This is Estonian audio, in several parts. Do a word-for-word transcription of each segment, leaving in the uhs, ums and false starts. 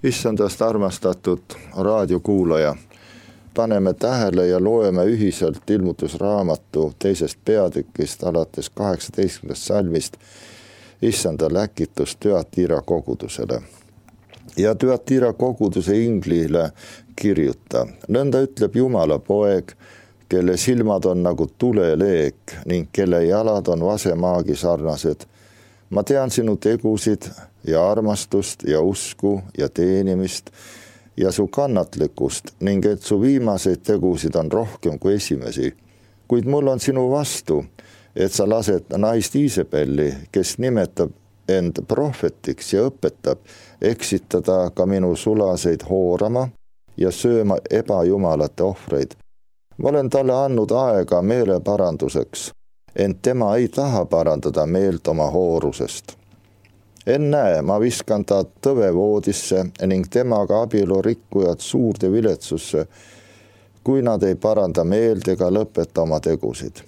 Issandast armastatud raadiokuulaja, paneme tähele ja loeme ühiselt ilmutusraamatu teisest peatükist alates kaheksateistkümnendast salmist Issanda läkitus Thyatira kogudusele. Ja Thyatira koguduse inglile kirjuta: nõnda ütleb Jumala poeg, kelle silmad on nagu tuleleek ning kelle jalad on vasemaagi sarnased. Ma tean sinu tegusid ja armastust ja usku ja teenimist ja su kannatlikkust ning et su viimaseid tegusid on rohkem kui esimesi. Kuid mul on sinu vastu, et sa lased naist Iisabelli, kes nimetab end prohvetiks ja õpetab, eksitada ka minu sulaseid hoorama ja sööma ebajumalate ohvreid. Ma olen talle andnud aega meeleparanduseks, ent tema ei taha parandada meelt oma hoorusest. Ennäe, ma viskan ta tõvevoodisse ning temaga abielu rikkujad suurde viletsusse, kui nad ei paranda meelt ega lõpeta oma tegusid.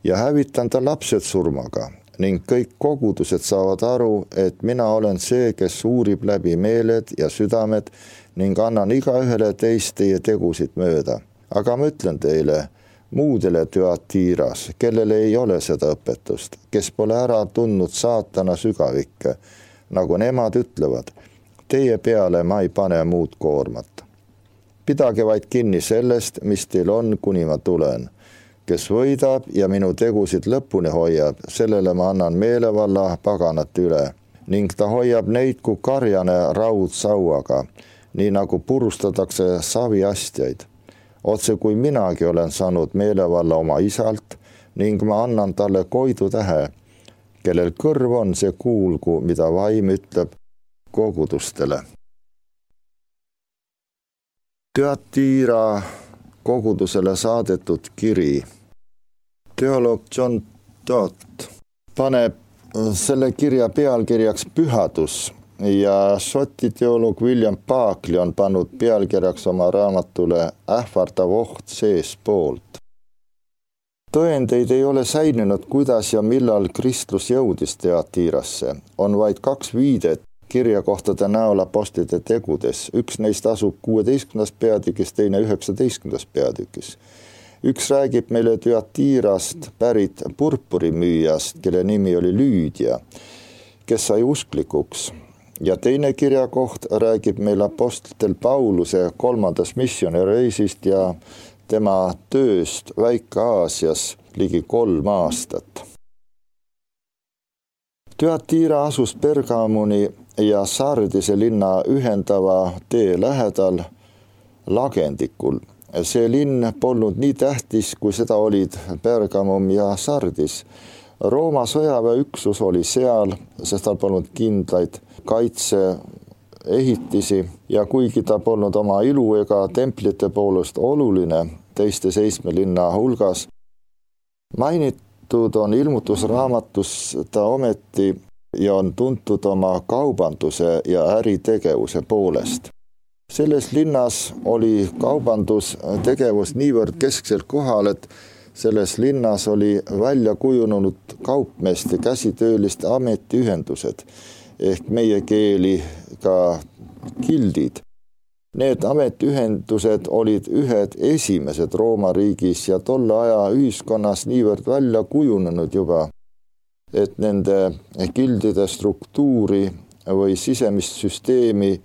Ja hävitan ta lapsed surmaga ning kõik kogudused saavad aru, et mina olen see, kes uurib läbi meeled ja südamed ning annan igaühele teist teie tegusid mööda. Aga ma ütlen teile, muudele Thyatiras, kellele ei ole seda õpetust, kes pole ära tundnud saatana sügavikke, nagu nemad ütlevad, teie peale ma ei pane muud koormat. Pidage vaid kinni sellest, mis teil on, kuni ma tulen. Kes võidab ja minu tegusid lõpuni hoiab, sellele ma annan meelevalla paganat üle ning ta hoiab neid kui karjane raudsauaga, nii nagu purustatakse saviastjaid. Otse kui minagi olen saanud meelevalla oma isalt ning ma annan talle koidu tähe, kellel kõrv on, see kuulgu, mida vaim ütleb kogudustele. Thyatira kogudusele saadetud kiri. Teoloog John Stott paneb selle kirja pealkirjaks pühadus ja šoti teoloog William Barclay on pannud pealkirjaks oma raamatule ähvardav oht seespoolt. Tõendeid ei ole säilinud, kuidas ja millal Kristus jõudis Thyatirasse. On vaid kaks viidet kirjakohtade näol apostlite tegudes. Üks neist asub kuueteistkümnendas peatükis, teine üheksateistkümnendas peatükis. Üks räägib meile Thyatirast pärit purpurimüüjast, kelle nimi oli Lüüdia, kes sai usklikuks. Ja teine kirjakoht räägib meil apostlitel Pauluse kolmandas missioonireisist ja tema tööst Väike-Aasias ligi kolm aastat. Thyatira asus Pergamoni ja Sardise linna ühendava tee lähedal lagendikul. See linn polnud nii tähtis, kui seda olid Pergamum ja Sardis. Rooma sõjaväeüksus oli seal, sest tal polnud kindlaid kaitseehitisi ja kuigi ta polnud oma ilu ega templite poolest oluline teiste seitsme linna hulgas, mainitud on ilmutusraamatus ta ometi ja on tuntud oma kaubanduse ja äritegevuse poolest. Selles linnas oli kaubandustegevus niivõrd kesksel kohal, et selles linnas oli välja kujunenud kaupmeeste käsitööliste ametiühendused ehk meie keeli ka gildid. Need ametiühendused olid ühed esimesed Rooma riigis ja tolle aja ühiskonnas niivõrd välja kujunenud juba, et nende gildide struktuuri või sisemist süsteemi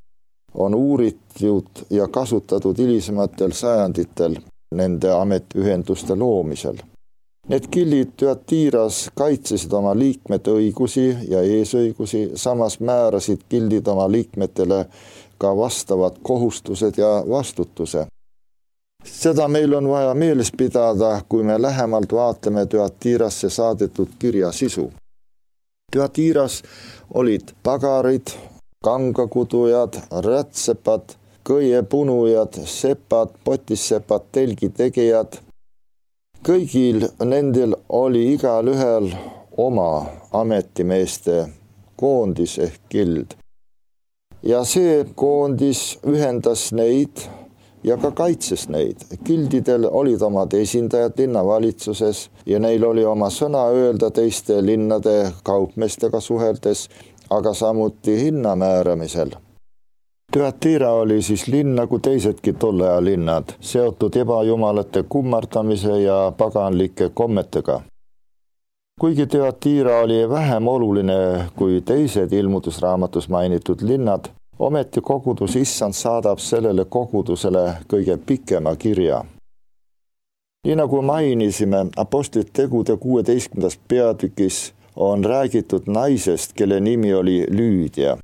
on uuritud ja kasutatud hilisematel sajanditel nende ametiühenduste loomisel. Need gildid Thyatiras kaitsesid oma liikmete õigusi ja eesõigusi, samas määrasid gildid oma liikmetele ka vastavad kohustused ja vastutuse. Seda meil on vaja meeles pidada, kui me lähemalt vaatame Thyatirasse saadetud kirja sisu. Thyatiras olid pagarid, kangakudujad, rätsepad, kõiepunujad, sepad, potissepad, telgitegijad. Kõigil nendel oli igal ühel oma ametimeeste koondis ehk gild. Ja see koondis ühendas neid ja ka kaitses neid. Gildidel olid omad esindajad linnavalitsuses ja neil oli oma sõna öelda teiste linnade kaupmeestega suheldes, aga samuti hinna määramisel. Thyatira oli siis linn nagu teisedki tolle aja linnad, seotud ebajumalate kummardamise ja paganlike kommetega. Kuigi Thyatira oli vähem oluline kui teised ilmutusraamatus mainitud linnad, ometi kogudus Issand saadab sellele kogudusele kõige pikema kirja. Nii nagu mainisime, Apostlite tegude kuueteistkümnendas peatükis on räägitud naisest, kelle nimi oli Lüüdia.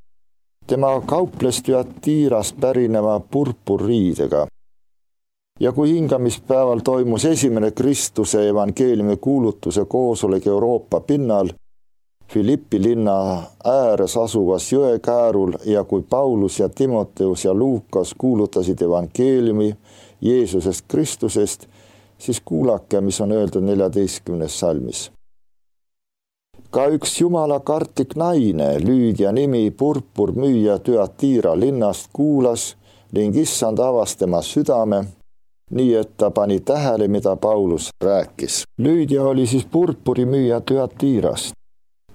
Tema kauples Thyatirast pärineva purpurriidega. Ja kui hingamispäeval toimus esimene Kristuse evangeeliumi kuulutuse koosolek Euroopa pinnal, Filippi linna ääres asuvas jõekäärul ja kui Paulus ja Timoteus ja Luukas kuulutasid evangeeliumi Jeesusest Kristusest, siis kuulake, mis on öeldud neljateistkümnes salmis. Ka üks jumala kartlik naine, Lüüdia nimi purpurmüüja Thyatira linnast kuulas ning Issand avas tema südame, nii et ta pani tähele, mida Paulus rääkis. Lüüdia oli siis purpurimüüja Thyatirast.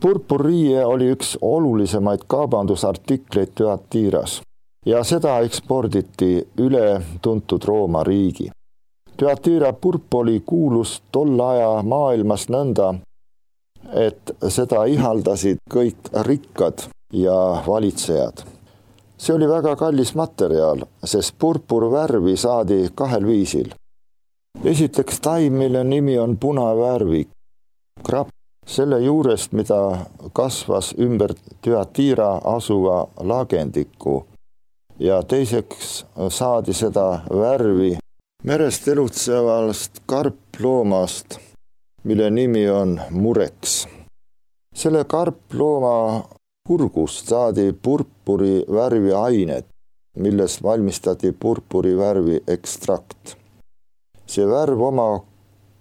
Purpurriie oli üks olulisemaid kaubandusartikleid Thyatiras ja seda eksporditi üle tuntud Rooma riigi. Thyatira purp oli kuulus tolle aja maailmas nõnda, et seda ihaldasid kõik rikkad ja valitsejad. See oli väga kallis materjal, sest purpurvärvi saadi kahel viisil. Esiteks taim, mille nimi on punavärvi, krapp, selle juurest, mida kasvas ümber Thyatira asuva lagendiku. Ja teiseks saadi seda värvi merest elutsevast karploomast, mille nimi on mureks. Selle karplooma kurgust saadi purpuri värvi ainet, millest valmistati purpuri värvi ekstrakt. See värv oma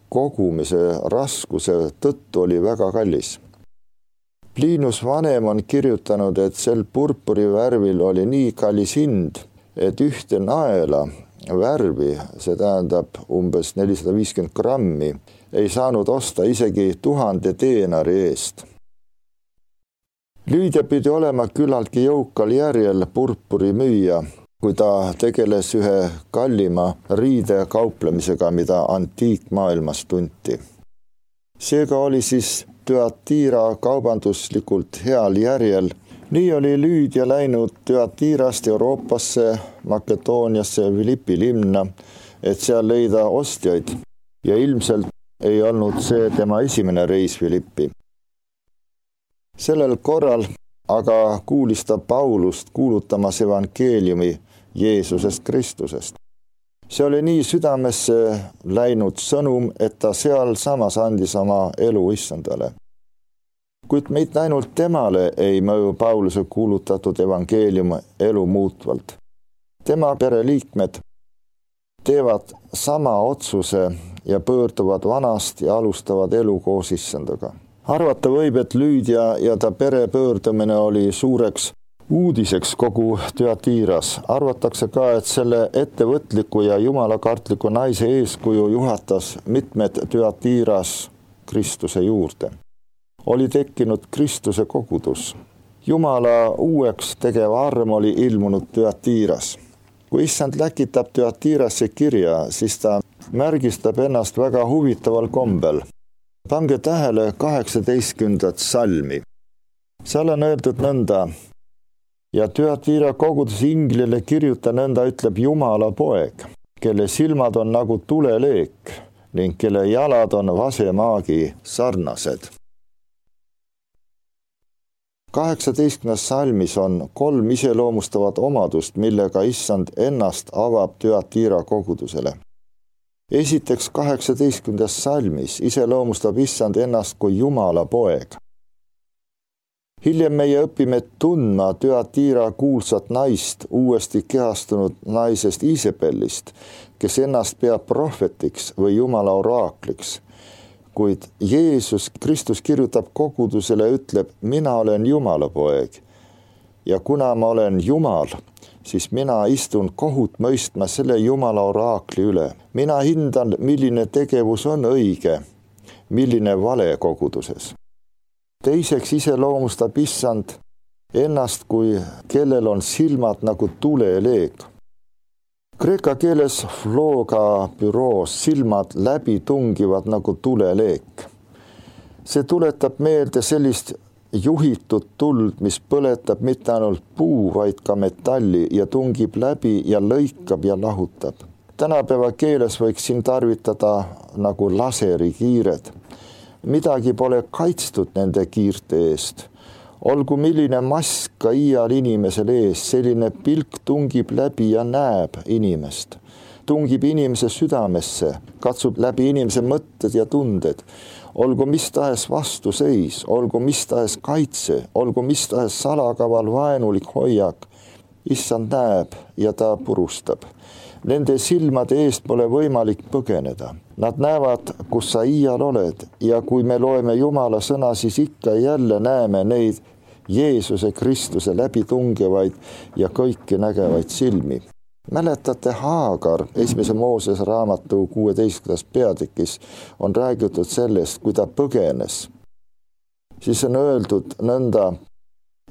kogumise raskuse tõttu oli väga kallis. Plinus vanem on kirjutanud, et sel purpuri värvil oli nii kallis hind, et ühte naela värvi, see tähendab umbes nelisada viiskümmend grammi, ei saanud osta isegi tuhande deenari eest. Lüüdia pidi olema küllaltki jõukal järjel purpuri müüja, kui ta tegeles ühe kallima riide kauplemisega, mida antiikmaailmas tunti. Seega oli siis Thyatira kaubanduslikult heal järjel. Nii oli Lüüdia läinud Thyatirast Euroopasse, Makedooniasse ja Filippi linna, et seal leida ostjaid ja ilmselt ei olnud see tema esimene reis Filippi. Sellel korral aga kuulis ta Paulust kuulutamas evangeeliumi Jeesusest Kristusest. See oli nii südamesse läinud sõnum, et ta seal samas andis oma elu Issandale. Kuid mitte ainult temale ei mõju Pauluse kuulutatud evangeelium elu muutvalt. Tema pereliikmed teevad sama otsuse ja pöörduvad vanast ja alustavad elu koos Issandaga. Arvata võib, et Lüüdia ja ta pere pöördumine oli suureks uudiseks kogu Thyatiras. Arvatakse ka, et selle ettevõtliku ja jumalakartliku naise eeskuju juhatas mitmed Thyatiras Kristuse juurde. Oli tekkinud Kristuse kogudus. Jumala uueks tegev arm oli ilmunud Thyatiras. Kui Issand läkitab Thyatirasse kirja, siis ta märgistab ennast väga huvitaval kombel. Pange tähele kaheksateistkümnendat salmi. Seal on öeldud nõnda, ja Thyatira kogudus inglile kirjuta nõnda, ütleb Jumala poeg, kelle silmad on nagu tuleleek ning kelle jalad on vasemaagi sarnased. kaheksateistkümnendas salmis on kolm iseloomustavat omadust, millega Issand ennast avab Thyatira kogudusele. Esiteks kaheksateistkümnendas salmis iseloomustab Issand ennast kui Jumala poeg. Hiljem meie õpime tundma Thyatira kuulsat naist, uuesti kehastunud naisest Iisabellist, kes ennast peab prohvetiks või Jumala oraakliks. Kuid Jeesus Kristus kirjutab kogudusele, ütleb, mina olen Jumala poeg. Ja kuna ma olen Jumal, siis mina istun kohut mõistma selle Jumala oraakli üle. Mina hindan, milline tegevus on õige, milline vale koguduses. Teiseks iseloomustab Issand ennast kui kellel on silmad nagu tuleleek. Kreeka keeles floga büroos silmad läbi tungivad nagu tuleleek. See tuletab meelde sellist juhitud tuld, mis põletab mitte ainult puu, vaid ka metalli ja tungib läbi ja lõikab ja lahutab. Tänapäeva keeles võiks siin tarvitada nagu laseri kiired. Midagi pole kaitstud nende kiirte eest. Olgu milline mask ka iial inimesel ees, selline pilk tungib läbi ja näeb inimest. Tungib inimese südamesse, katsub läbi inimese mõtted ja tunded. Olgu mis tahes vastuseis, olgu mis tahes kaitse, olgu mis tahes salakaval vaenulik hoiak. Issand näeb ja ta purustab. Nende silmade eest pole võimalik põgeneda. Nad näevad, kus sa iial oled ja kui me loeme Jumala sõna, siis ikka jälle näeme neid Jeesuse Kristuse läbi tungevaid ja kõiki nägevaid silmi. Mäletate Haagar esimese Moosese raamatu kuueteistkümnendas peatükis on räägitud sellest, kui ta põgenes. Siis on öeldud nõnda,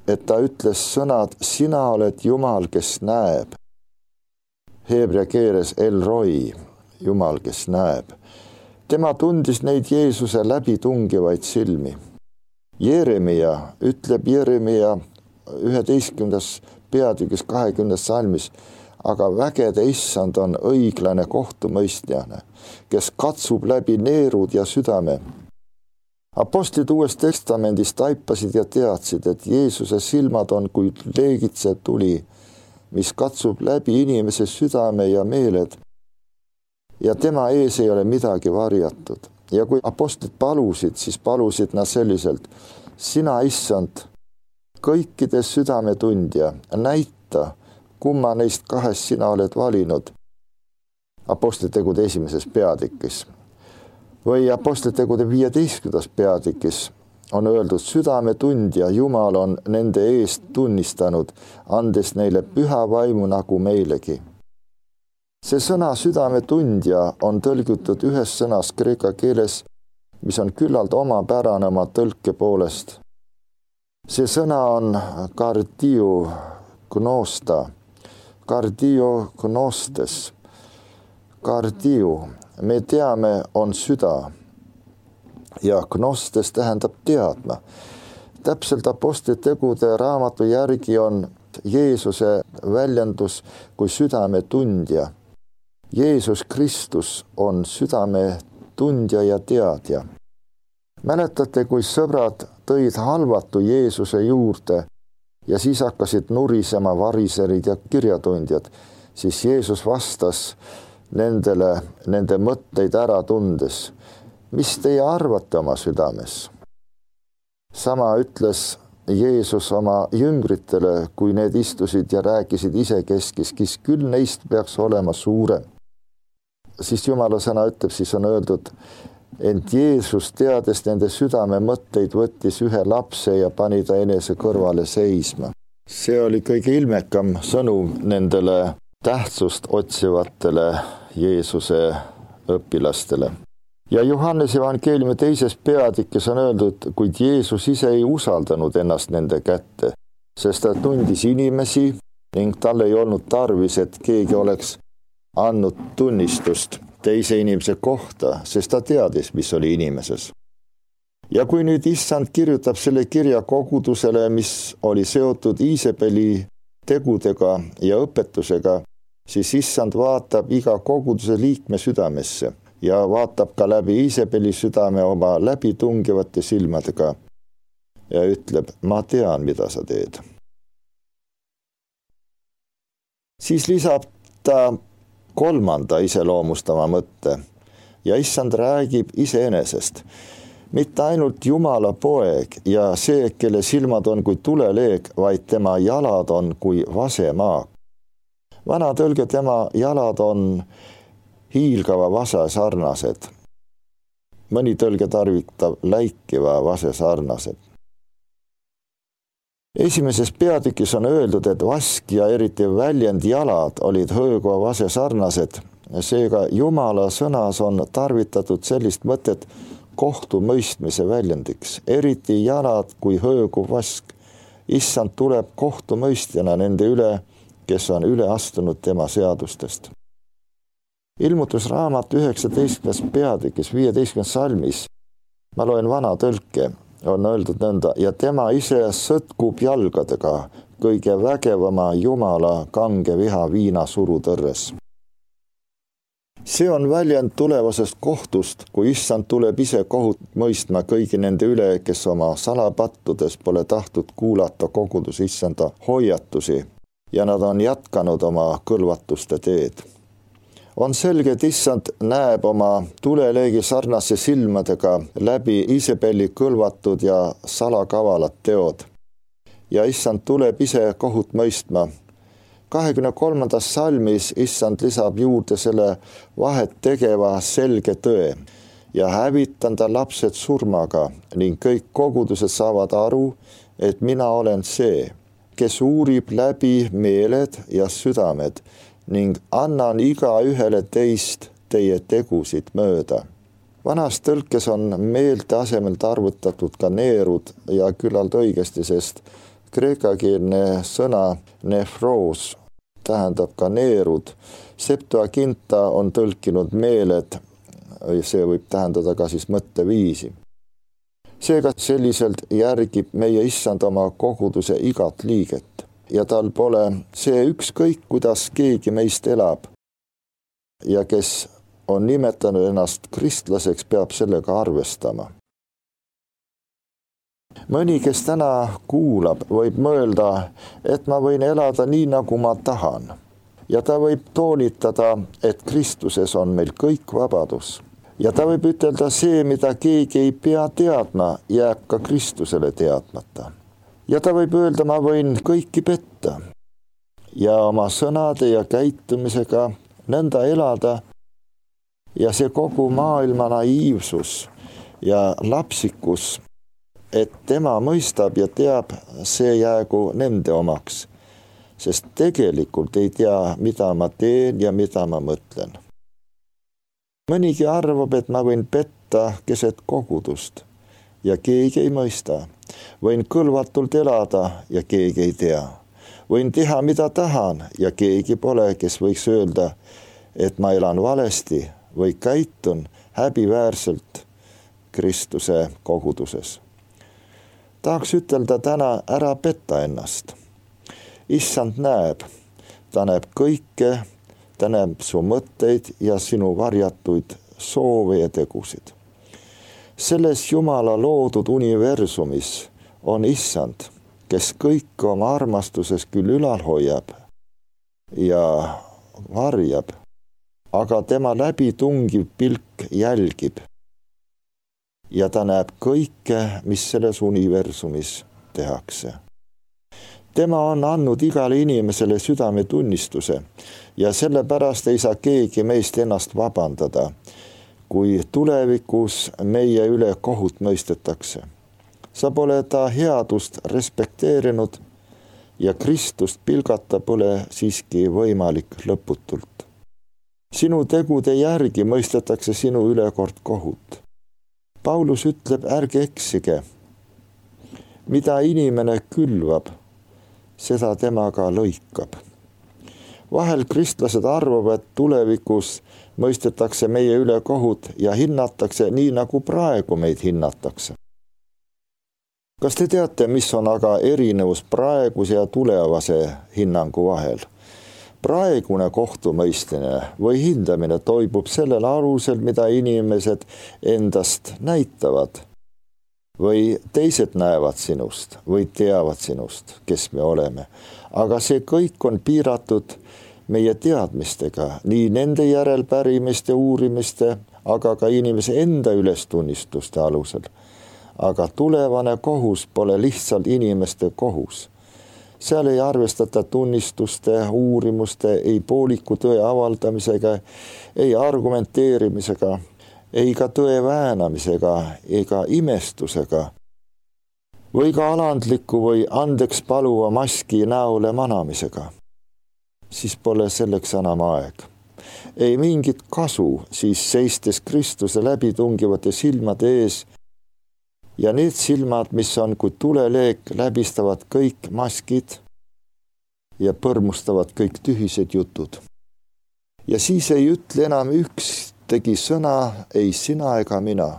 et ta ütles sõnad, sina oled Jumal, kes näeb. Heebrea keeles El Roi, Jumal, kes näeb. Tema tundis neid Jeesuse läbi tungivaid silmi. Jeremia ütleb Jeremia üheteistkümnendas peatükis kahekümnendas salmis, aga vägede issand on õiglane kohtumõistjane, kes katsub läbi neerud ja südame. Apostlid Uues Testamendis taipasid ja teadsid, et Jeesuse silmad on kui leegitse tuli, mis katsub läbi inimese südame ja meeled ja tema ees ei ole midagi varjatud. Ja kui apostlid palusid, siis palusid nad selliselt, sina issand, kõikide südametundja, näita, kumma neist kahest sina oled valinud. Apostlitegude esimeses peatükis või apostlitegude viieteistkümnendas peatükis on öeldud, südametundja Jumal on nende eest tunnistanud, andes neile püha vaimu nagu meilegi. See sõna südametundja on tõlgitud ühes sõnas kreeka keeles, mis on küllalt omapärane oma tõlke poolest. See sõna on kardio gnosta, kardio gnostes, kardio, me teame, on süda. Ja gnostes tähendab teadma. Täpselt apostlitegude raamatu järgi on Jeesuse väljendus kui südametundja. Jeesus Kristus on südametundja ja teadja. Mäletate, kui sõbrad tõid halvatu Jeesuse juurde ja siis hakkasid nurisema variserid ja kirjatundjad, siis Jeesus vastas nendele, nende mõtteid ära tundes. Mis teie arvate oma südames? Sama ütles Jeesus oma jüngritele, kui need istusid ja rääkisid isekeskis, kes küll neist peaks olema suurem. Siis Jumala sõna ütleb, siis on öeldud, ent Jeesus teades nende südame mõtteid võttis ühe lapse ja pani ta enese kõrvale seisma. See oli kõige ilmekam sõnum nendele tähtsust otsivatele Jeesuse õpilastele. Ja Johannes evangeeliumi teises peatükis on öeldud, kuid Jeesus ise ei usaldanud ennast nende kätte, sest ta tundis inimesi ning tal ei olnud tarvis, et keegi oleks andnud tunnistust teise inimese kohta, sest ta teadis, mis oli inimeses. Ja kui nüüd issand kirjutab selle kirja kogudusele, mis oli seotud Iisabeli tegudega ja õpetusega, siis issand vaatab iga koguduse liikme südamesse ja vaatab ka läbi Iisabeli südame oma läbitungivate silmadega ja ütleb, ma tean, mida sa teed. Siis lisab ta kolmanda iseloomustava mõtte ja issand räägib iseenesest. Mitte ainult Jumala poeg ja see, kelle silmad on kui tuleleek, vaid tema jalad on kui vasemaa. Vana tõlge tema jalad on hiilgava vase sarnased. Mõni tõlge tarvitab läikiva vase sarnased. Esimeses peatükis on öeldud, et vask ja eriti väljend jalad olid hõõguva vase sarnased. Seega Jumala sõnas on tarvitatud sellist mõtet kohtumõistmise väljendiks, eriti jalad kui hõõguv vask Issand tuleb kohtumõistjana nende üle, kes on üle astunud tema seadustest. Ilmutusraamat üheksateistkümnes peatükis viieteistkümnes salmis, ma loen vana tõlke, on öeldud nõnda, ja tema ise sõtkub jalgadega kõige vägevama Jumala kange viha viina surutõrres. See on väljend tulevasest kohtust, kui Issand tuleb ise kohut mõistma kõigi nende üle, kes oma salapattudes pole tahtnud kuulata kogudus Issanda hoiatusi ja nad on jätkanud oma kõlvatuste teed. On selge, et Issand näeb oma tuleleegi sarnase silmadega läbi Iisabeli kõlvatud ja salakavalad teod. Ja Issand tuleb ise kohut mõistma. kahekümne kolmandas salmis Issand lisab juurde selle vahet tegeva selge tõe ja hävitan ta lapsed surmaga ning kõik kogudused saavad aru, et mina olen see, kes uurib läbi meeled ja südamed ning annan iga ühele teist teie tegusid mööda. Vanas tõlkes on meelte asemelt arvutatud ka neerud ja küllalt õigesti, sest kreekakeelne sõna nefroos tähendab ka neerud. Septuaginta on tõlkinud meeled, see võib tähendada ka siis mõtteviisi. Seega selliselt järgib meie Issand oma koguduse igat liiget ja tal pole see ükskõik, kuidas keegi meist elab ja kes on nimetanud ennast kristlaseks, peab sellega arvestama. Mõni, kes täna kuulab, võib mõelda, et ma võin elada nii, nagu ma tahan. Ja ta võib toonitada, et Kristuses on meil kõik vabadus. Ja ta võib ütelda, see, mida keegi ei pea teadma, jääb ka Kristusele teadmata. Ja ta võib öelda, ma võin kõiki petta ja oma sõnade ja käitumisega nõnda elada ja see kogu maailma naiivsus ja lapsikus, et tema mõistab ja teab, see jäägu nende omaks, sest tegelikult ei tea, mida ma teen ja mida ma mõtlen. Mõnigi arvab, et ma võin petta keset kogudust ja keegi ei mõista. Võin kõlvatult elada ja keegi ei tea. Võin teha, mida tahan ja keegi pole, kes võiks öelda, et ma elan valesti või käitun häbiväärselt Kristuse koguduses. Tahaks ütelda täna, ära petta ennast. Issand näeb, ta näeb kõike, ta näeb su mõtteid ja sinu varjatuid soove ja tegusid. Selles Jumala loodud universumis on Issand, kes kõik oma armastuses küll ülal hoiab ja varjab, aga tema läbi tungiv pilk jälgib. Ja ta näeb kõike, mis selles universumis tehakse. Tema on andnud igale inimesele südametunnistuse ja sellepärast ei saa keegi meist ennast vabandada, kui tulevikus meie üle kohut mõistetakse. Sa pole ta headust respekteerinud ja Kristust pilgata pole siiski võimalik lõputult. Sinu tegude järgi mõistetakse sinu üle kord kohut. Paulus ütleb, ärge eksige. Mida inimene külvab, seda tema ka lõikab. Vahel kristlased arvavad, et tulevikus mõistetakse meie üle kohut ja hinnatakse nii, nagu praegu meid hinnatakse. Kas te teate, mis on aga erinevus praeguse ja tulevase hinnangu vahel? Praegune kohtumõistmine või hindamine toimub sellel alusel, mida inimesed endast näitavad või teised näevad sinust või teavad sinust, kes me oleme. Aga see kõik on piiratud meie teadmistega, nii nende järelpärimiste, uurimiste, aga ka inimese enda ülestunnistuste alusel. Aga tulevane kohus pole lihtsalt inimeste kohus. Seal ei arvestata tunnistuste, uurimuste, ei pooliku tõe avaldamisega, ei argumenteerimisega, ei ka tõe väänamisega, ega imestusega või ka alandliku või andeks paluva maski näole manamisega. Siis pole selleks enam aeg. Ei mingit kasu siis seistes Kristuse läbi tungivate silmade ees ja need silmad, mis on kui tuleleek, läbistavad kõik maskid ja põrmustavad kõik tühised jutud. Ja siis ei ütle enam üks tegi sõna, ei sina ega mina,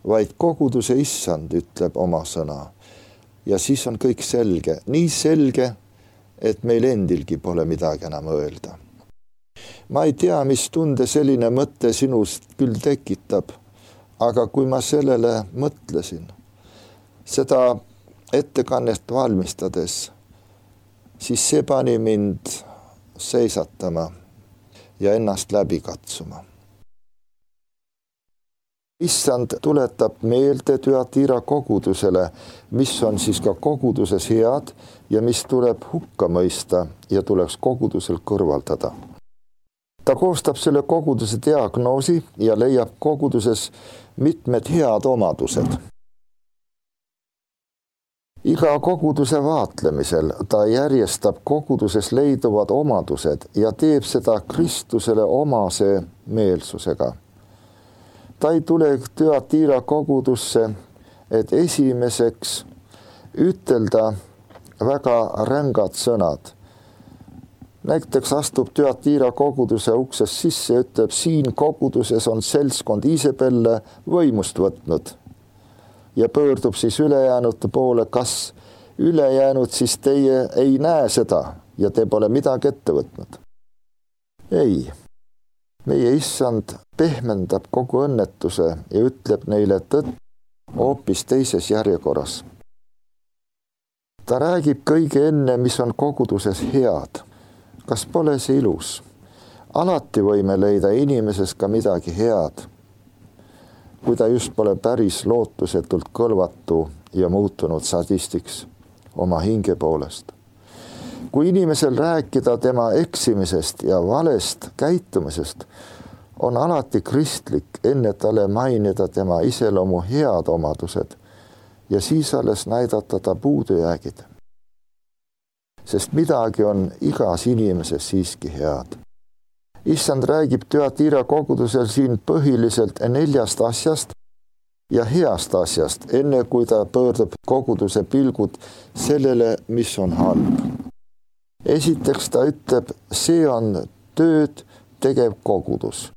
vaid koguduse issand ütleb oma sõna. Ja siis on kõik selge, nii selge, et meil endilgi pole midagi enam öelda. Ma ei tea, mis tunde selline mõte sinust küll tekitab, aga kui ma sellele mõtlesin, seda ettekannet valmistades, siis see pani mind seisatama ja ennast läbi katsuma. Issand tuletab meelde Thyatira kogudusele, mis on siis ka koguduses head ja mis tuleb hukka mõista ja tuleks kogudusel kõrvaldada. Ta koostab selle koguduse diagnoosi ja leiab koguduses mitmed head omadused. Iga koguduse vaatlemisel ta järjestab koguduses leiduvad omadused ja teeb seda Kristusele omase meelsusega. Ta ei tule Thyatira kogudusse, et esimeseks ütelda väga rängad sõnad. Näiteks astub Thyatira koguduse uksest sisse ja ütleb, siin koguduses on seltskond Iisabelle võimust võtnud. Ja pöördub siis ülejäänute poole, kas ülejäänud siis teie ei näe seda ja te pole midagi ette võtnud. Ei, meie issand pehmendab kogu õnnetuse ja ütleb neile tõtt hoopis teises järjekorras. Ta räägib kõige enne, mis on koguduses head. Kas pole see ilus? Alati võime leida inimeses ka midagi head, kui ta just pole päris lootusetult kõlvatu ja muutunud sadistiks oma hinge poolest. Kui inimesel rääkida tema eksimisest ja valest käitumisest, on alati kristlik enne talle mainida tema iseloomu head omadused ja siis alles näidata ta puudujäägid. Sest midagi on igas inimeses siiski head. Issand räägib Thyatira kogudusel siin põhiliselt neljast asjast ja heast asjast, enne kui ta pöördub koguduse pilgud sellele, mis on halb. Esiteks ta ütleb, see on tööd tegev kogudus.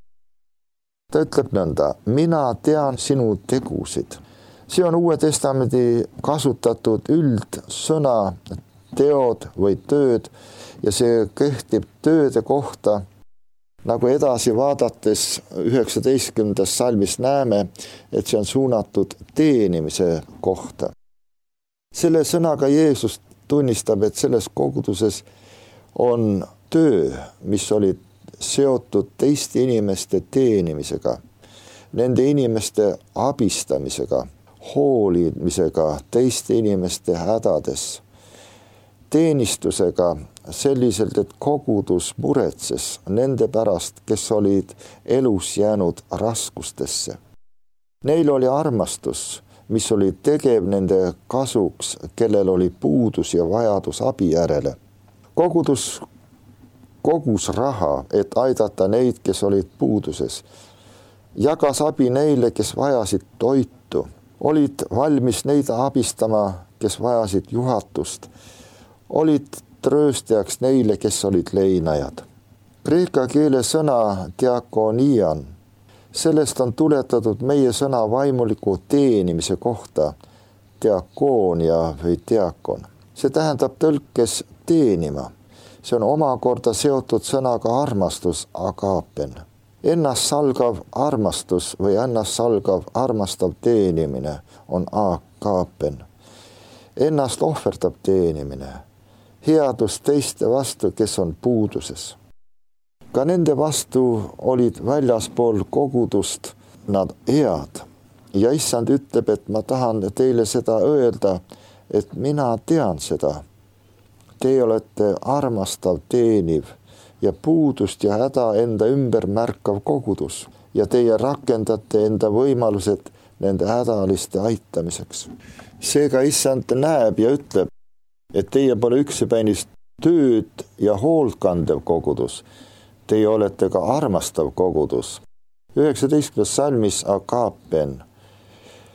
Ta ütleb nõnda, mina tean sinu tegusid. See on Uue Testamendi kasutatud üldsõna teod või tööd ja see kehtib tööde kohta, nagu edasi vaadates üheksateistkümnendas salmis näeme, et see on suunatud teenimise kohta. Selle sõnaga Jeesus tunnistab, et selles koguduses on töö, mis oli seotud teiste inimeste teenimisega, nende inimeste abistamisega, hoolimisega teiste inimeste hädades, teenistusega selliselt, et kogudus muretses nende pärast, kes olid elus jäänud raskustesse. Neil oli armastus, mis oli tegev nende kasuks, kellel oli puudus ja vajadus abi järele. Kogudus kogus raha, et aidata neid, kes olid puuduses. Jagas abi neile, kes vajasid toitu. Olid valmis neid abistama, kes vajasid juhatust. Olid trööstajaks neile, kes olid leinajad. Kreeka keele sõna diakonian, sellest on tuletatud meie sõna vaimuliku teenimise kohta, diakoonia või diakon. See tähendab tõlkes teenima. See on omakorda seotud sõnaga armastus, agapen. Ennast salgav armastus või ennast salgav armastav teenimine on agapen. Ennast ohverdab teenimine. Headus teiste vastu, kes on puuduses. Ka nende vastu olid väljaspool kogudust nad head. Ja issand ütleb, et ma tahan teile seda öelda, et mina tean seda. Teie olete armastav, teeniv ja puudust ja häda enda ümber märkav kogudus ja teie rakendate enda võimalused nende hädaliste aitamiseks. Seega issand näeb ja ütleb, et teie pole üksipänist tööd ja hoolt kandev kogudus. Teie olete ka armastav kogudus. üheksateistkümnes salmis agapen.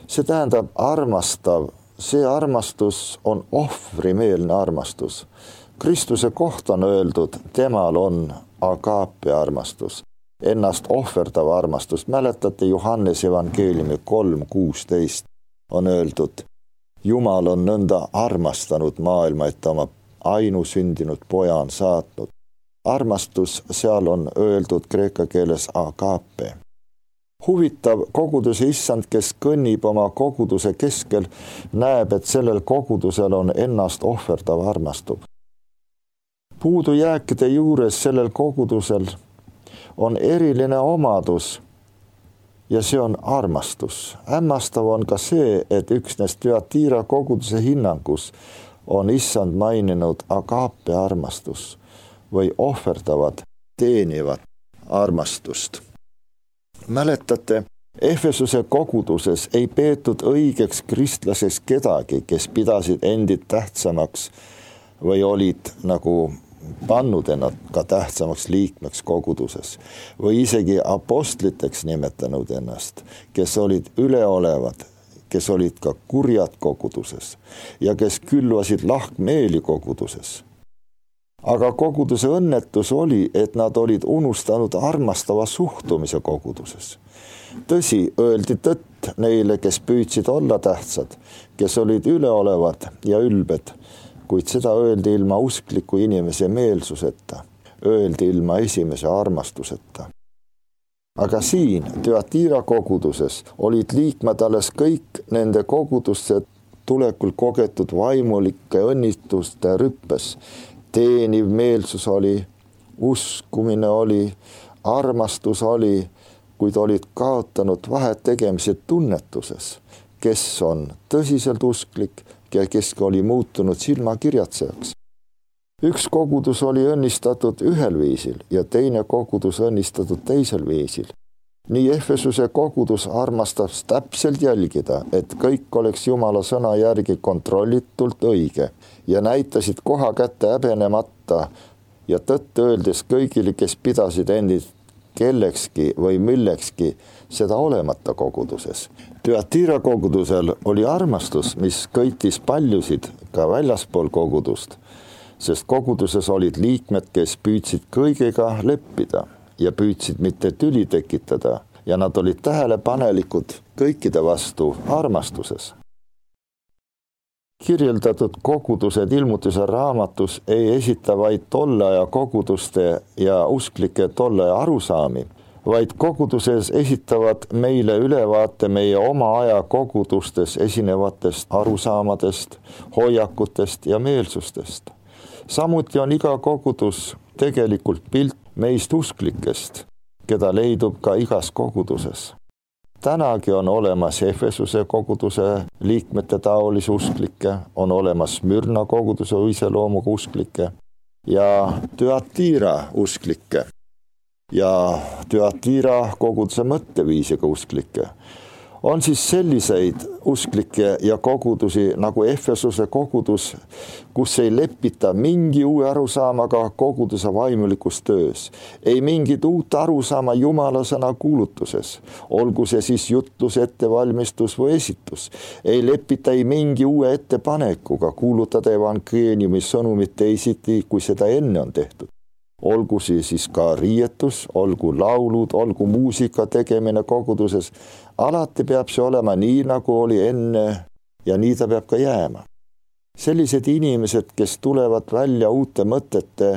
See tähendab armastav, see armastus on ohvrimeelne armastus. Kristuse kohta on öeldud, temal on agaape armastus, ennast ohverdav armastus. Mäletate Johannese evangeeliumi kolm kuusteist on öeldud, Jumal on nõnda armastanud maailma, et ta oma ainusündinud poja on saatnud. Armastus seal on öeldud kreeka keeles agaape. Huvitav, koguduse issand, kes kõnnib oma koguduse keskel, näeb, et sellel kogudusel on ennast ohverdav armastub. Puudujääkide juures sellel kogudusel on eriline omadus ja see on armastus. Hämmastav on ka see, et üksnes Thyatira koguduse hinnangus on issand maininud agaape armastus või ohverdavad, teenivad armastust. Mäletate, Efesuse koguduses ei peetud õigeks kristlaseks kedagi, kes pidasid endid tähtsamaks või olid nagu pannud ennast ka tähtsamaks liikmeks koguduses või isegi apostliteks nimetanud ennast, kes olid üleolevad, kes olid ka kurjad koguduses ja kes külvasid lahkmeeli koguduses. Aga koguduse õnnetus oli, et nad olid unustanud armastava suhtumise koguduses. Tõsi, öeldi tõtt neile, kes püüdsid olla tähtsad, kes olid üleolevad ja ülbed, kuid seda öeldi ilma uskliku inimese meelsuseta, öeldi ilma esimese armastuseta. Aga siin Thyatira koguduses olid liikmed alles kõik nende kogudusse tulekul kogetud vaimulike õnnituste rüppes. Teeniv meelsus oli, uskumine oli, armastus oli, kuid olid kaotanud vahet tegemise tunnetuses, kes on tõsiselt usklik ja kes oli muutunud silmakirjatsejaks. Üks kogudus oli õnnistatud ühel viisil ja teine kogudus õnnistatud teisel viisil. Nii Efesuse kogudus armastas täpselt jälgida, et kõik oleks Jumala sõna järgi kontrollitult õige ja näitasid koha kätte häbenemata ja tõtt öeldes kõigile, kes pidasid endid kellekski või millekski, seda olemata koguduses. Thyatira kogudusel oli armastus, mis kõitis paljusid ka väljaspool kogudust, sest koguduses olid liikmed, kes püüdsid kõigega leppida ja püüdsid mitte tüli tekitada ja nad olid tähelepanelikud kõikide vastu armastuses. Kirjeldatud kogudused ilmutuse raamatus ei esita vaid tolle aja koguduste ja usklike tolle aja arusaami, vaid koguduses esitavad meile ülevaate meie oma aja kogudustes esinevatest arusaamadest, hoiakutest ja meelsustest. Samuti on iga kogudus tegelikult pilt meist usklikest, keda leidub ka igas koguduses. Tänagi on olemas Efesuse koguduse liikmete taolisi usklikke, on olemas Smyrna koguduse iseloomuga usklikke ja Thyatira usklikke ja Thyatira koguduse mõtteviisiga usklikke. On siis selliseid usklikke ja kogudusi nagu Efesuse kogudus, kus ei lepita mingi uue arusaamaga koguduse vaimulikus töös, ei mingit uut arusaama Jumala sõna kuulutuses, olgu see siis jutlus, ettevalmistus või esitus, ei lepita ei mingi uue ettepanekuga kuulutada evangeeliumi sõnumit teisiti, kui seda enne on tehtud. Olgu siis ka riietus, olgu laulud, olgu muusika tegemine koguduses, alati peab see olema nii, nagu oli enne ja nii ta peab ka jääma. Sellised inimesed, kes tulevad välja uute mõtete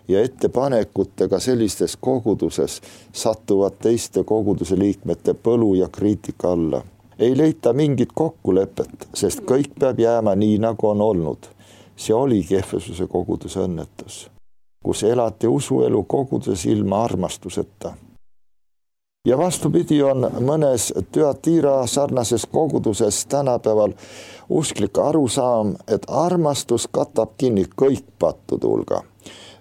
ja ettepanekutega sellistes koguduses, satuvad teiste koguduse liikmete põlu ja kriitika alla. Ei leita mingit kokkulepet, sest kõik peab jääma nii, nagu on olnud. See oligi Efesuse koguduse õnnetus, kus elati usuelu koguduses ilma armastuseta. Ja vastupidi on mõnes Thyatira sarnases koguduses tänapäeval usklik arusaam, et armastus katab kinni kõik pattude hulga.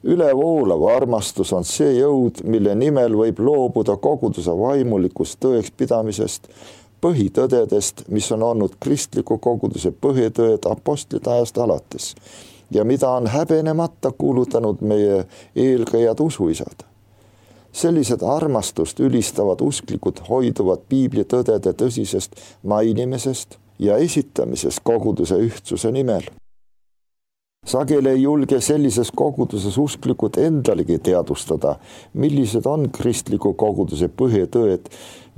Ülevoolav armastus on see jõud, mille nimel võib loobuda koguduse vaimulikust tõeks pidamisest, põhitõdedest, mis on olnud kristliku koguduse põhitõed apostlite ajast alates ja mida on häbenemata kuulutanud meie eelkäijad usuisad. Sellised armastust ülistavad usklikud hoiduvad piibli tõdede tõsisest mainimisest ja esitamisest koguduse ühtsuse nimel. Sageli ei julge sellises koguduses usklikud endalegi teadustada, millised on kristliku koguduse põhitõed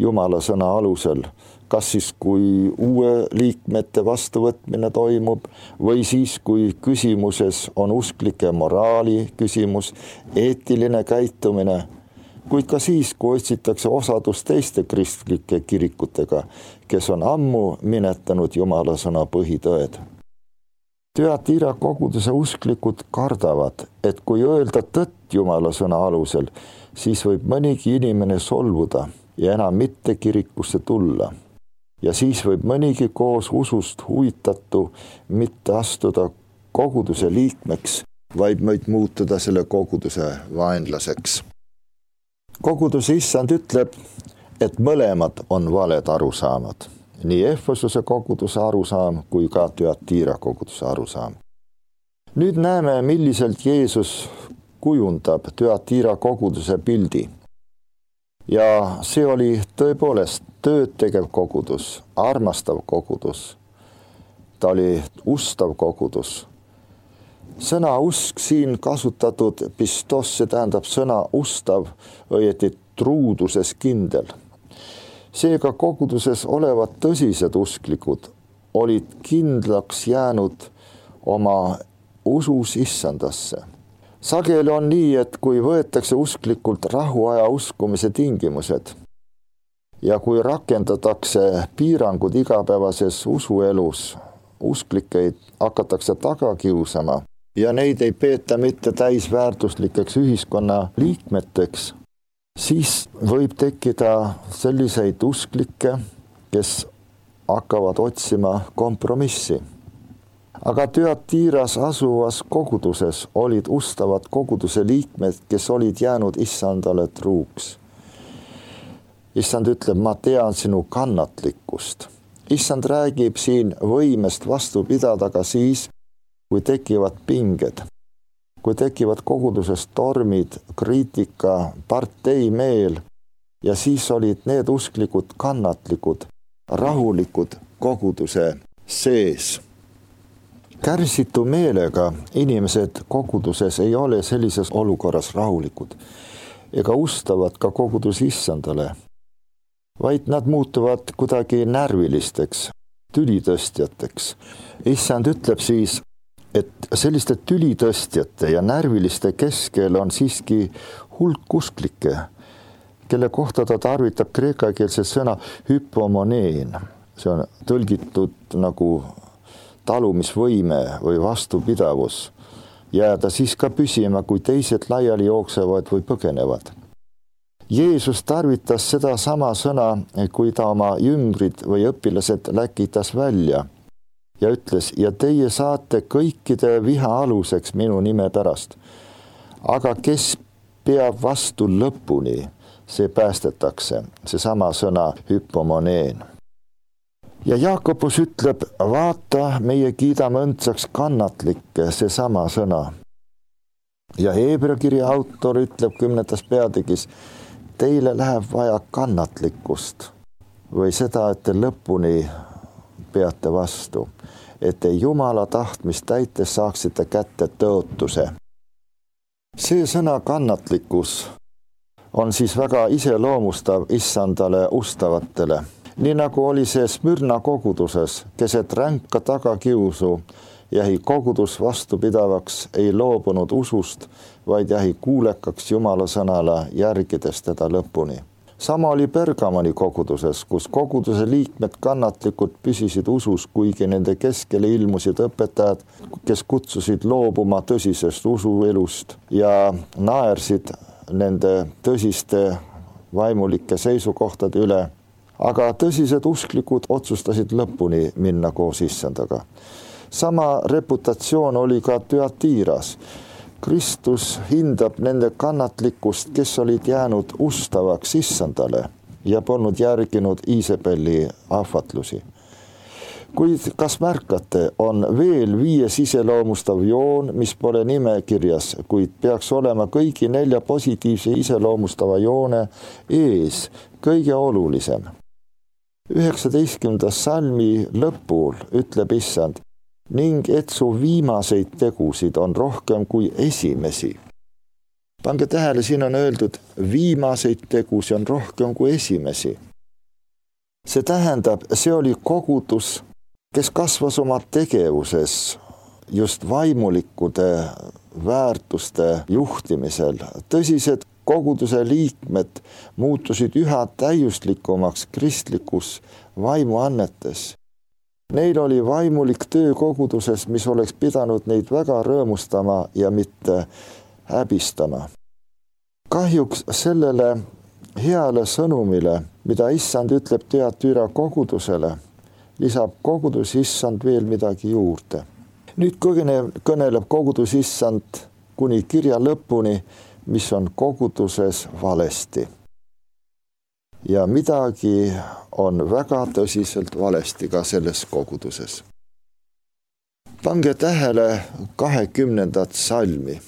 Jumala sõna alusel, kas siis kui uue liikmete vastuvõtmine toimub või siis kui küsimuses on usklike moraali küsimus, eetiline käitumine, kuid ka siis, kui otsitakse osadust teiste kristlike kirikutega, kes on ammu minetanud Jumala sõna põhitõed. Thyatira koguduse usklikud kardavad, et kui öelda tõtt Jumala sõna alusel, siis võib mõnigi inimene solvuda ja enam mitte kirikusse tulla. Ja siis võib mõnigi koos usust huvitatu mitte astuda koguduse liikmeks, vaid võid muutuda selle koguduse vaenlaseks. Koguduse issand ütleb, et mõlemad on valed arusaamad. Nii Efesuse koguduse arusaam kui ka Thyatira koguduse arusaam. Nüüd näeme, milliselt Jeesus kujundab Thyatira koguduse pildi. Ja see oli tõepoolest tööd tegev kogudus, armastav kogudus. Ta oli ustav kogudus. Sõna usk siin kasutatud pistos, see tähendab sõna ustav, õieti truuduses kindel. Seega koguduses olevad tõsised usklikud olid kindlaks jäänud oma usus issandasse. Sageli on nii, et kui võetakse usklikult rahuaja uskumise tingimused ja kui rakendatakse piirangud igapäevases usuelus, usklikeid hakatakse taga kiusama ja neid ei peeta mitte täisväärtuslikeks ühiskonna liikmeteks, siis võib tekkida selliseid usklikke, kes hakkavad otsima kompromissi. Aga Thyatiras asuvas koguduses olid ustavad koguduse liikmed, kes olid jäänud issandale truuks. Issand ütleb, ma tean sinu kannatlikkust. Issand räägib siin võimest vastu pidada ka siis, kui tekivad pinged. Kui tekivad koguduses tormid, kriitika, parteimeel ja siis olid need usklikud kannatlikud, rahulikud koguduse sees. Kärsitu meelega inimesed koguduses ei ole sellises olukorras rahulikud ega ustavad ka kogudus issandale, vaid nad muutuvad kuidagi närvilisteks, tülitõstjateks. Issand ütleb siis, et selliste tülitõstjate ja närviliste keskel on siiski hulk usklikke, kelle kohta ta tarvitab kreekakeelse sõna hypomoneen. See on tõlgitud nagu talumisvõime või vastupidavus. Jääda siis ka püsima, kui teised laiali jooksevad või põgenevad. Jeesus tarvitas seda sama sõna, kui ta oma jüngrid või õpilased läkitas välja ja ütles, ja teie saate kõikide viha aluseks minu nime pärast. Aga kes peab vastu lõpuni, see päästetakse, see sama sõna hypomoneen. Ja Jaakobus ütleb, vaata, meie kiidame õndsaks kannatlikke, see sama sõna. Ja Heebrea kirja autor ütleb kümnendas peatükis, teile läheb vaja kannatlikkust või seda, et te lõpuni peate vastu, et te Jumala tahtmist täites saaksite kätte tõotuse. See sõna kannatlikkus on siis väga iseloomustav issandale ustavatele. Nii nagu oli see Smyrna koguduses, keset ränka tagakiusu, jäi kogudus vastupidavaks, ei loobunud usust, vaid jäi kuulekaks Jumala sõnale, järgides teda lõpuni. Sama oli Pergamoni koguduses, kus koguduse liikmed kannatlikult püsisid usus, kuigi nende keskele ilmusid õpetajad, kes kutsusid loobuma tõsisest usuelust ja naersid nende tõsiste vaimulike seisukohtade üle. Aga tõsised usklikud otsustasid lõpuni minna koos issandaga. Sama reputatsioon oli ka Thyatiras. Kristus hindab nende kannatlikkust, kes olid jäänud ustavaks issandale ja polnud järginud Iisabeli ahvatlusi. Kuid kas märkate, on veel viies iseloomustav joon, mis pole nimekirjas, kuid peaks olema kõigi nelja positiivse iseloomustava joone ees kõige olulisem. üheksateistkümnenda salmi lõpul ütleb Issand, ning et su viimaseid tegusid on rohkem kui esimesi. Pange tähele, siin on öeldud, viimaseid tegusid on rohkem kui esimesi. See tähendab, see oli kogudus, kes kasvas oma tegevuses just vaimulikkude väärtuste juhtimisel. Tõsised koguduse liikmed muutusid üha täiuslikumaks kristlikus vaimuannetes. Neil oli vaimulik töö koguduses, mis oleks pidanud neid väga rõõmustama ja mitte häbistama. Kahjuks sellele heale sõnumile, mida Issand ütleb Thyatira kogudusele, lisab kogudus Issand veel midagi juurde. Nüüd kõneleb kogudus Issand kuni kirja lõpuni, mis on koguduses valesti. Ja midagi on väga tõsiselt valesti ka selles koguduses. Pange tähele kahekümnendat salmi.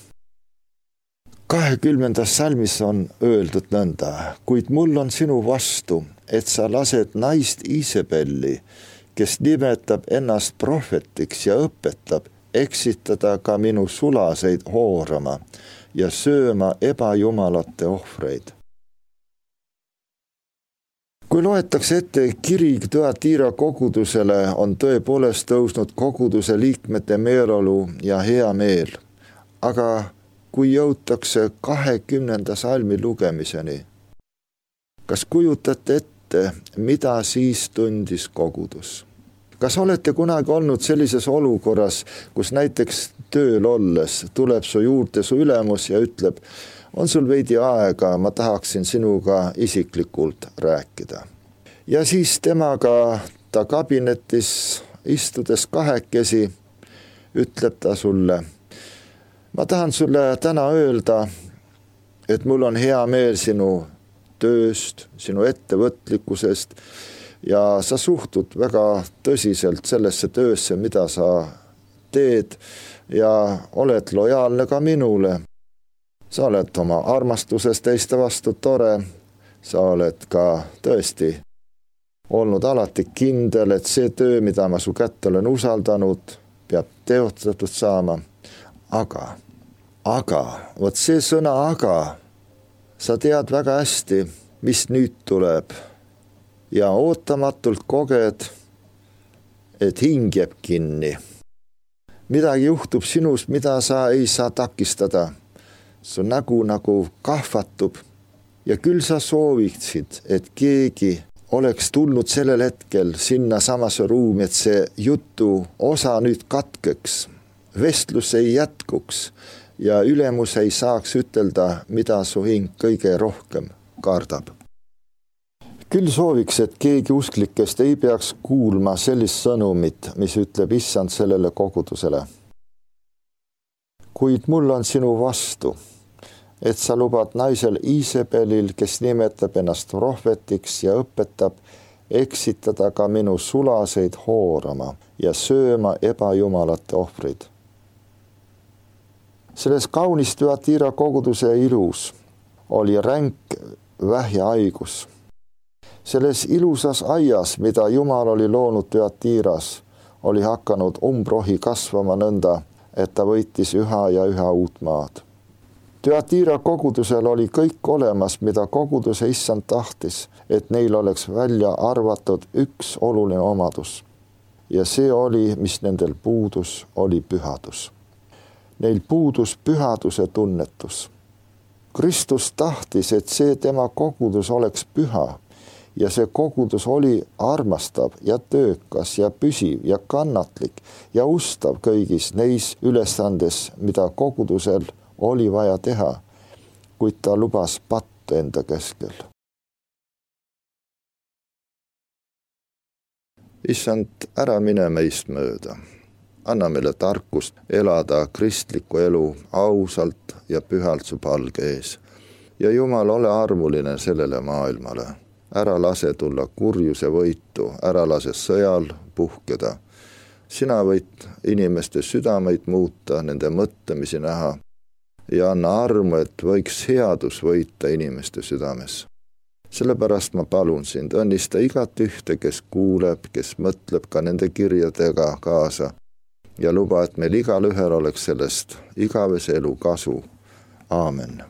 kahekümnendas salmis on öeldud nõnda, kuid mul on sinu vastu, et sa lased naist Iisebelli, kes nimetab ennast prohvetiks ja õpetab eksitada ka minu sulaseid hoorama ja sööma ebajumalate ohvreid. Kui loetakse ette kiri Thyatira kogudusele, on tõepoolest tõusnud koguduse liikmete meeleolu ja hea meel. Aga kui jõutakse kahekümnenda salmi lugemiseni, kas kujutate ette, mida siis tundis kogudus? Kas olete kunagi olnud sellises olukorras, kus näiteks tööl olles tuleb su juurde su ülemus ja ütleb, on sul veidi aega, ma tahaksin sinuga isiklikult rääkida. Ja siis temaga ta kabinetis istudes kahekesi ütleb ta sulle, ma tahan sulle täna öelda, et mul on hea meel sinu tööst, sinu ettevõtlikkusest ja sa suhtud väga tõsiselt sellesse töösse, mida sa teed ja oled lojaalne ka minule. Sa oled oma armastuses teiste vastu tore, sa oled ka tõesti olnud alati kindel, et see töö, mida ma su kätte olen usaldanud, peab teostatud saama. Aga, aga, vot see sõna aga, sa tead väga hästi, mis nüüd tuleb ja ootamatult koged, et hing jääb kinni. Midagi juhtub sinust, mida sa ei saa takistada. Su nägu nagu kahvatub ja küll sa sooviksid, et keegi oleks tulnud sellel hetkel sinna samasse ruumi, et see jutu osa nüüd katkeks, vestlus ei jätkuks ja ülemus ei saaks ütelda, mida su hing kõige rohkem kardab. Küll sooviks, et keegi usklikest ei peaks kuulma sellist sõnumit, mis ütleb Issand sellele kogudusele. Kuid mul on sinu vastu, et sa lubad naisel Iisebelil, kes nimetab ennast prohvetiks ja õpetab, eksitada ka minu sulaseid hoorama ja sööma ebajumalate ohvrid. Selles kaunis Thyatira koguduse ilus oli ränk vähjahaigus. Selles ilusas aias, mida Jumal oli loonud Thyatiras, oli hakanud umbrohi kasvama nõnda, et ta võitis üha ja üha uut maad. Thyatira kogudusel oli kõik olemas, mida koguduse Issand tahtis, et neil oleks välja arvatud üks oluline omadus. Ja see oli, mis nendel puudus, oli pühadus. Neil puudus pühaduse tunnetus. Kristus tahtis, et see tema kogudus oleks püha. Ja see kogudus oli armastav ja töökas ja püsiv ja kannatlik ja ustav kõigis neis ülesandes, mida kogudusel oli vaja teha, kuid ta lubas pattu enda keskel. Issand, ära mine meist mööda. Anna meile tarkust elada kristlikku elu ausalt ja pühalt su palge ees. Ja Jumal, ole armuline sellele maailmale. ära lase tulla kurjuse võitu, ära lase sõjal puhkeda. Sina võid inimeste südameid muuta, nende mõtlemisi näha ja anna armu, et võiks headus võita inimeste südames. Sellepärast ma palun sind, õnnista igat ühte, kes kuuleb, kes mõtleb ka nende kirjadega kaasa ja luba, et meil igal ühel oleks sellest igavese elu kasu. Aamen.